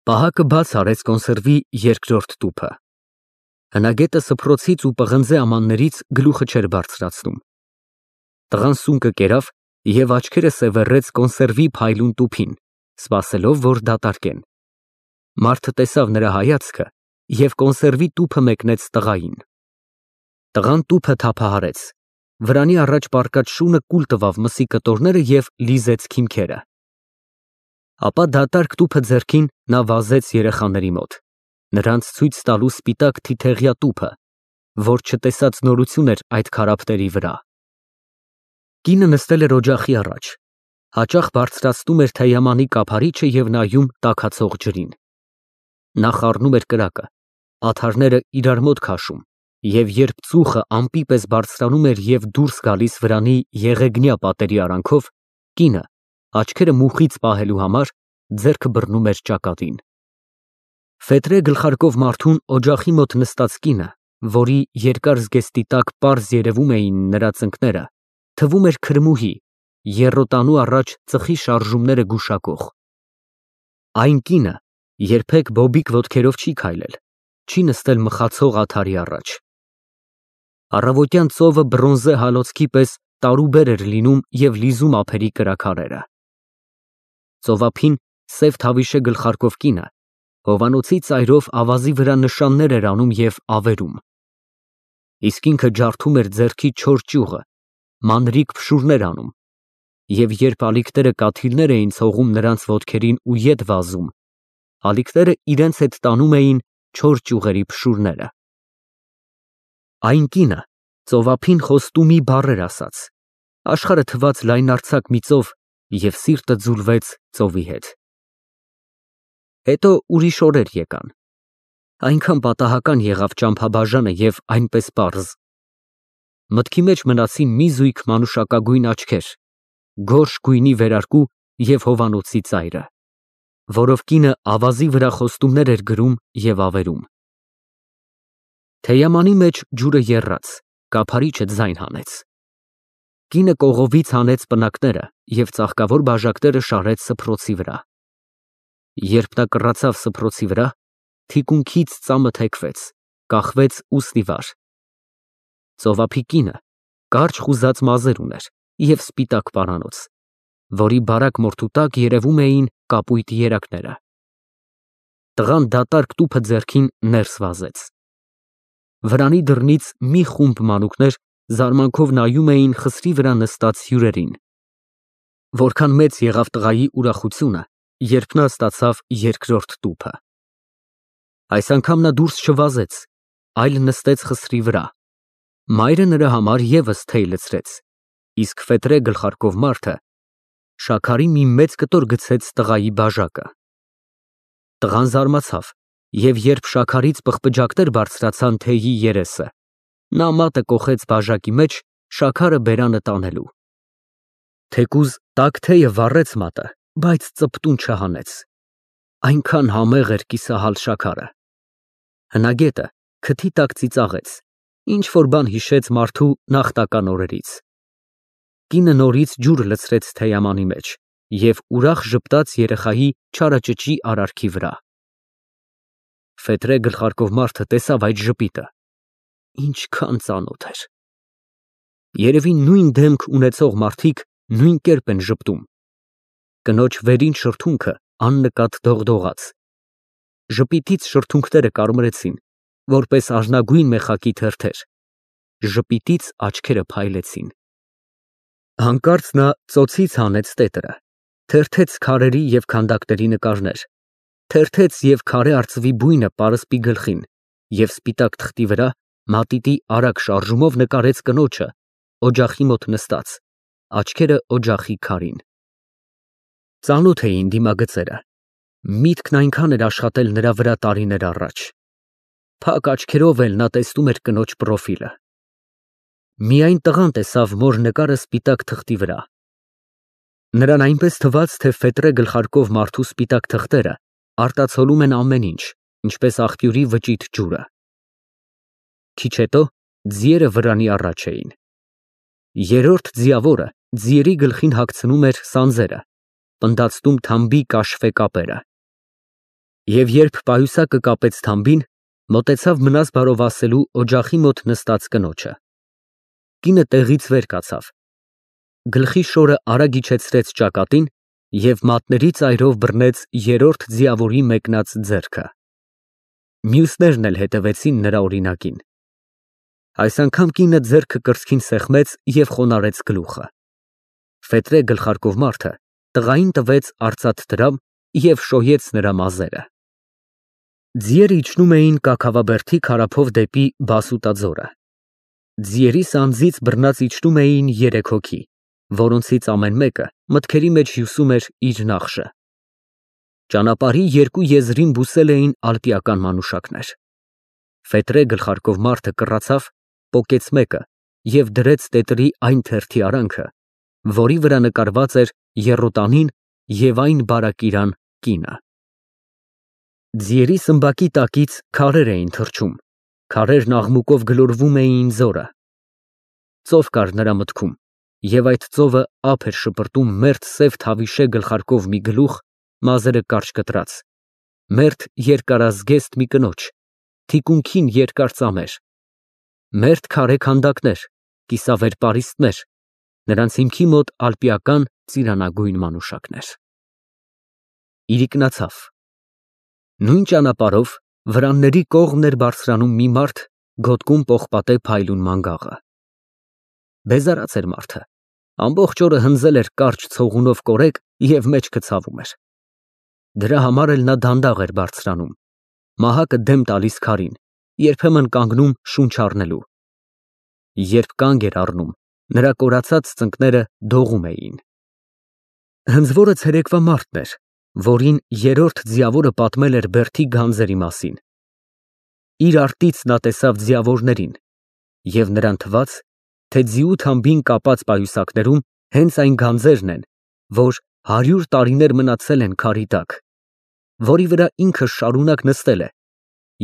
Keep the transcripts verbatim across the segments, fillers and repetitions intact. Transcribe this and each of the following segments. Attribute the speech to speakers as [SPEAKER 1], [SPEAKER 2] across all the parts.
[SPEAKER 1] Պահակը բաց արեց կոնսերվի երկրորդ տուփը։ Հնագետը սփռոցից ու պղնձե ամաններից գլուխը չէր բարձրացնում։ Տղան սունկը կերավ և աչքերը սևեռեց կոնսերվի փայլուն տուփին, սպասելով, որ դատարկեն։ Մարդը տեսավ նրա հայացքը և կոնսերվի տուփը մեկնեց տղային։ Տղան տուփը թափահարեց, վրանի առաջ պառկած շունը կուլ տվավ մսի կտորները և լիզեց քիմքերը։ Ապա դատարկ տուփը ձեռքին նա վազեց երեխաների մոտ, նրանց ցույց տալու սպիտակ թիթեղյա տուփը, որ չտեսած նորություն էր այդ քարափների վրա։ Կինը նստել էր օջախի առաջ, հաճախ բարձրացնում էր թեյամանի կափարիչը և նայում տաքացող ջրին։ Նա խառնում էր կրակը, ադհարները իրար մոտ քաշում, և երբ ծուխը ամպի պես բարձրանում էր և դուրս գալիս վրանի եղեգնյա պատերի արանքով, կինը, աչքերը մուխից պահելու համար, ձեռքը բռնում էր ճակատին։ Ֆետրե գլխարկով մարդուն օջախի մոտ նստած կինը, որի երկար զգեստի տակ պարզ երևում էին նրա ծնկները, թվում էր քրմուհի, եռոտանու առաջ ծխի շարժումները գուշակող։ Այն կինը երբեք բոբիկ ոտքերով չի քայլել, չի նստել մխացող ադհարի առաջ։ Առավոտյան ծովը բրոնզե հալոցքի պես տարուբեր էր լինում և լիզում ափերի կրաքարերը։ Ծովափին սև թավիշե գլխարկով կինը հովանոցի ծայրով ավազի վրա նշաններ էր անում և ավերում։ Իսկ ինքը ջարդում էր ձեռքի չոր ճյուղը, մանրիկ փշուրներ անում, և երբ ալիքները կաթիլներ էին ցողում նրանց ոտքերին ու ետ վազում, ալիքները իրենց հետ տանում էին չոր ճյուղերի փշուրները։ Այն կինը ծովափին խոստումի բառեր ասաց, աշխարհը թվաց լայնարձակ մի ծով և սիրտը ձուլվեց ծովի հետ։ Հետո ուրիշ օրեր եկան։ Այնքան պատահական եղավ ճամփաբաժանը և այնպես պարզ։ Մտքի մեջ մնացին մի զույգ մանուշակագույն աչքեր, գորշ գույնի վերարկու և հովանոցի ծայրը, որով կինը ավազի վրա խոստումներ էր գրում և ավերում։ Թեյամանի մեջ ջուրը եռաց, կափարիչը ձայն հանեց։ Կինը կողովից հանեց պնակները և ծաղկավոր բաժակները շարեց սփռոցի վրա։ Երբ նա կռացավ սփռոցի վրա, թիկունքից ծամը թեքվեց, կախվեց ու ստիվար։ Ծովափի կինը կարճ խուզած մազեր ուներ և սպիտակ պարանոց, որի բարակ մորթու տակ երևում էին կապույտ երակները։ Տղան դատարկ տուփը ձեռքին ներս վազեց։ Վրանի դռնից մի խումբ մանուկներ զարմանքով նայում էին խսրի վրա նստած հյուրերին։ Որքան մեծ եղավ տղայի ուրախությունը, երբ նա ստացավ երկրորդ տուփը։ Այս անգամ նա դուրս չվազեց, այլ նստեց խսրի վրա։ Մայրը նրա համար ևս թեյ լցրեց, իսկ ֆետրե գլխարկով մարդը շաքարի մի մեծ կտոր գցեց տղայի բաժակը։ Տղան զարմացավ, և երբ շաքարից պղպջակներ բարձրացան թեյի երեսը, նա մատը կոխեց բաժակի մեջ, շաքարը բերանը տանելու։ Թեկուզ տաք թեյը վառեց մատը, բայց ծպտուն չհանեց։ Այնքան համեղ էր կիսահալ շաքարը։ Հնագետը քթի տակ ծիծաղեց, ինչ֊որ բան հիշեց մարդու նախնական օրերից։ Կինը նորից ջուր լցրեց թեյամանի մեջ և ուրախ ժպտաց երեխայի չարաճճի արարքի վրա։ Ֆետրե գլխարկով մարդը տեսավ այդ ժպիտը, ինչքան ծանոթ էր։ Երևի նույն դեմք ունեցող մարդիկ նույն կերպ են ժպտում։ Կնոջ վերին շրթունքը աննկատ դողդողաց։ Ժպիտից շրթունքները կարմրեցին, որպես արհնագույն մեխակի թերթեր, ժպիտից աչքերը փայլեցին։ Հանկարծ նա ծոցից հանեց տետրը, թերթեց քարերի և քանդակների նկարներ, թերթեց և քարե արծվի բույնը պարսպի գլխին և սպիտակ թղթի վրա մատիտի արագ շարժումով նկարեց կնոջը, օջախի մոտ նստած, աչքերը օջախի քարին։ Ծանոթ էին դիմագծերը, միտքն այնքան էր աշխատել նրա վրա տարիներ առաջ։ Փակ աչքերով էլ նա տեսնում էր կնոջ պրոֆիլը։ Միայն տղան տեսավ մոր նկարը սպիտակ թղթի վրա։ Նրան այնպես թվաց, թե ֆետրե գլխարկով մարդու սպիտակ թղթերը արտացոլում են ամեն ինչ, ինչպես աղբյուրի վճիտ ջուրը։ Քիչ հետո ձիերը վրանի առաջ էին։ Երրորդ ձիավորը ձիերի գլխին հագցնում էր սանձերը, պնդացնում թամբի կաշվե կապերը։ Եվ երբ պայուսակը կապեց թամբին, մոտեցավ մնաս բարով ասելու օջախի մոտ նստած կնոջը։ Կինը տեղից վեր կացավ, գլխի շորը արագ իջեցրեց ճակատին և մատների ծայրով բռնեց երրորդ ձիավորի մեկնած ձեռքը։ Մյուսներն էլ հետևեցին նրա օրինակին։ Այս անգամ կինը ձեռքը կրծքին սեղմեց և խոնարհեց գլուխը։ Ֆետրե գլխարկով մարդը տղային տվեց արծաթ դրամ և շոյեց նրա մազերը։ Ձիերը իջնում էին Կաքավաբերդի քարափով դեպի Բասուտաձորը։ Ձիերի սանձից բռնած իջնում էին երեք հոգի, որոնցից ամեն մեկը մտքերի մեջ հյուսում էր իր նախշը։ Ճանապարհի երկու եզրին բուսել էին ալպիական մանուշակներ։ Ֆետրե գլխարկով մարդը կռացավ, պոկեց մեկը և դրեց տետրի այն թերթի արանքը, որի վրա նկարված էր եռոտանին և այն բարակիրան կինը։ Ձիերի սմբակի տակից քարեր էին թռչում, քարերն աղմուկով գլորվում էին ձորը։ Ծով կար նրա մտքում, և այդ ծովը ափ էր շպրտում մերթ սև թավիշե գլխարկով մի գլուխ, մազերը կարճ կտրած, մերթ երկարազգեստ մի կնոջ, թիկունքին երկար ծամեր, մերթ քարե քանդակներ, կիսավեր պարիսպներ, նրանց հիմքի մոտ ալպիական ծիրանագույն մանուշակներ։ Իրիկնացավ։ Նույն ճանապարհով վրանների կողմն էր բարձրանում մի մարդ, գոտկում պողպատե փայլուն մանգաղը։ Բեզարած էր մարդը, ամբողջ օրը հնձել էր կարճ ցողունով կորեկ և մեջքը ցավում էր։ Դրա համար էլ նա դանդաղ էր բարձրանում, մահակը դեմ տալիս քարին, երբեմն կանգնում շունչ առնելու։ Երբ կանգ էր առնում, նրա կորացած ծնկները դողում էին։ Հնձվորը ցերեկվա մարդն էր, որին երրորդ ձիավորը պատմել էր բերդի գանձերի մասին։ Իր արտից նա տեսավ ձիավորներին, և նրան թվաց, թե ձիու թամբին կապած պայուսակներում հենց այն գանձերն են, որ հարյուր տարիներ մնացել են քարի տակ, որի վրա ինքը շարունակ նստել է,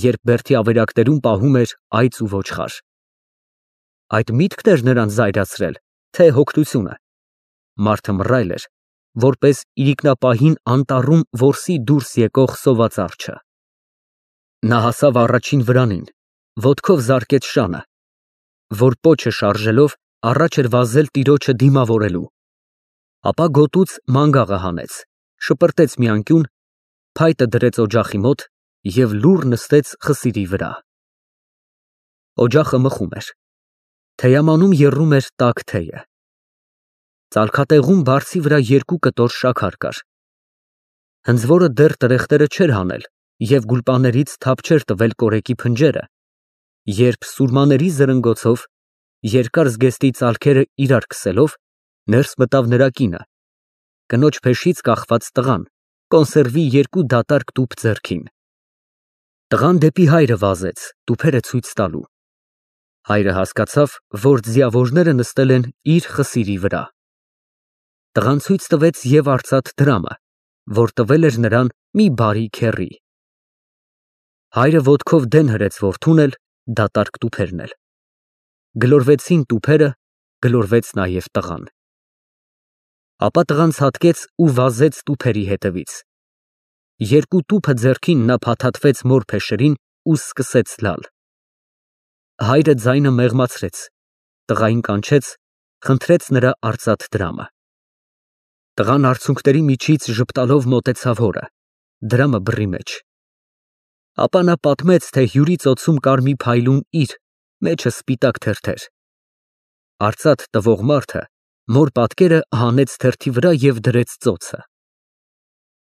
[SPEAKER 1] երբ բերդի ավերակներում պահում էր այծ ու ոչխար։ Այդ միտքն էր նրան զայրացրել, թե հոգնությունը։ Մարդը մռայլ էր, որպես իրիկնապահին անտառում որսի դուրս եկող սոված արջը։ Նա հասավ առաջին վրանին, ոտքով զարկեց շանը, որ պոչը շարժելով առաջ էր վազել տիրոջը դիմավորելու, ապա գոտուց մանգաղը հանեց, շպրտեց մի անկյուն, փայտը դրեց օջախի մոտ և լուռ նստեց խսիրի վրա։ Օջախը մխում էր, թեյամանում եռում էր տաք թեյը։ Ծալքատեղում բարձի վրա երկու կտոր շաքար կար։ Հնձվորը դեռ տրեխտերը չէր հանել և գուլպաներից թափ չէր տվել կորեկի փնջերը, երբ սուրմաների զրնգոցով, երկար զգեստի ծալքերը իրար քսելով, ներս մտավ նրա կինը, կնոջ փեշից կախված տղան, կոնսերվի երկու դատարկ տուփ ձեռքին։ Տղան դեպի հայրը վազեց, տուփերը ցույց տալու։ Հայրը հասկացավ, որ ձիավորները նստել են իր խսիրի վրա։ Տղան ցույց տվեց և արծաթ դրամը, որ տվել էր նրան մի բարի քեռի։ Հայրը ոտքով դեն հրեց որդուն էլ, դատարկ տուփերն էլ։ Գլորվեցին տուփերը, գլորվեց նաև տղան։ Ապա տղան ցատկեց ու վազեց տուփերի հետևից։ Երկու տուփը ձեռքին նա փաթաթվեց մոր փեշերին ու սկսեց լալ։ Հայրը ձայնը մեղմացրեց, տղային կանչեց, խնդրեց նրա արծաթ դրամը։ Տղան արցունքների միջից ժպտալով մոտեցավ հորը, դրամը բռի մեջ։ Ապա նա պատմեց, թե հյուրի ծոցում կար մի փայլուն իր, մեջը սպիտակ թերթեր։ Արծաթ տվող մարդը մոր պատկերը հանեց թերթի վրա և դրեց ծոցը։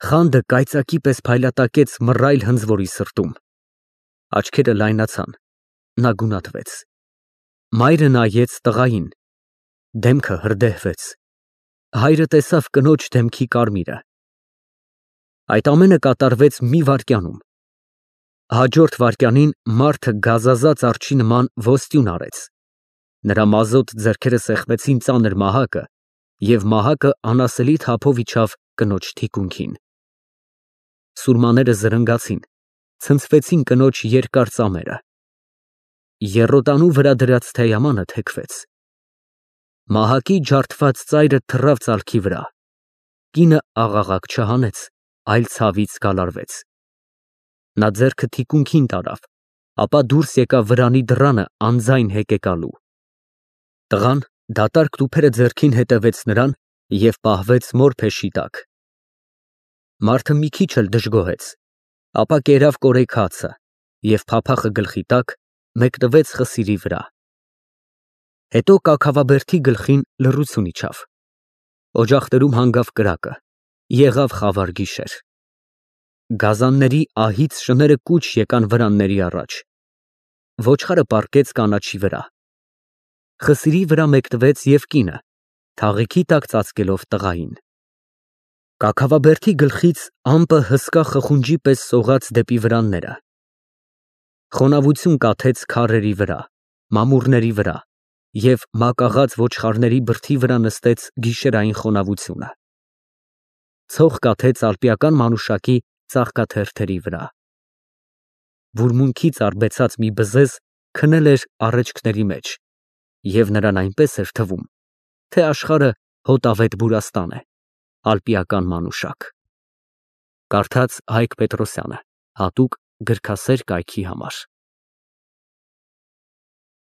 [SPEAKER 1] Խանդը կայծակի պես փայլատակեց մռայլ հնձվորի սրտում։ Աչքերը լայնացան, նա գունատվեց։ Մայրը նայեց տղային, դեմքը հրդեհվեց։ Հայրը տեսավ կնոջ դեմքի կարմիրը։ Այդ ամենը կատարվեց մի վայրկյանում։ Հաջորդ վայրկյանին մարդը գազազած արջի նման ոստյուն արեց։ Նրա մազոտ ձեռքերը սեղմեցին ծանր մահակը, և մահակը անասելի թափով իջավ կնոջ թիկունքին։ Սուրմաները զրնգացին, ցնցվեցին կնոջ երկար ծամերը։ Եռոտանու վրա դրած թեյամանը թեքվեց։ Մահակի ջարդված ծայրը թռավ ծալքի վրա։ Կինը աղաղակ չհանեց, այլ ցավից գալարվեց։ Նա ձեռքը թիկունքին տարավ, ապա դուրս եկավ վրանի դռանը անձայն հեկեկալու։ Տղան դատարկ տուփերը ձեռքին հետևեց նրան և պահվեց մոր փեշի տակ։ Մարդը մի քիչ էլ դժգոհեց, ապա կերավ կորեք հացը և փափախը գլխի տակ մեկնվեց խսիրի վրա։ Հետո կաքավաբերդի գլխին լռություն իջավ։ Օջախներում հանգավ կրակը, եղավ խավար գիշեր։ Գազանների ահից շները կուչ եկան վրանների առաջ։ Ոչխարը պառկեց կանաչի վրա։ Խսիրի վրա մեկնվեց և կինը, թաղիքի տակ ծածկելով տղային։ Կաքավաբերդի գլխից ամպը հսկա խխունջի պես սողաց դեպի վրանները։ Խոնավություն կաթեց քարերի վրա, մամուռների վրա և մակաղած ոչխարների բրդի վրա նստեց գիշերային խոնավությունը։ Ցող կաթեց ալպիական մանուշակի ծաղկաթերթերի վրա։ Վուրմունքից արբեցած մի բզեզ քնել էր առէջքների մեջ, և նրան այնպես էր թվում, թե աշխարհը հոտավետ բուրաստան է, ալպիական մանուշակ։ Կարդաց Հայկ Պետրոսյանը, հատուկ գրքասեր կայքի համար։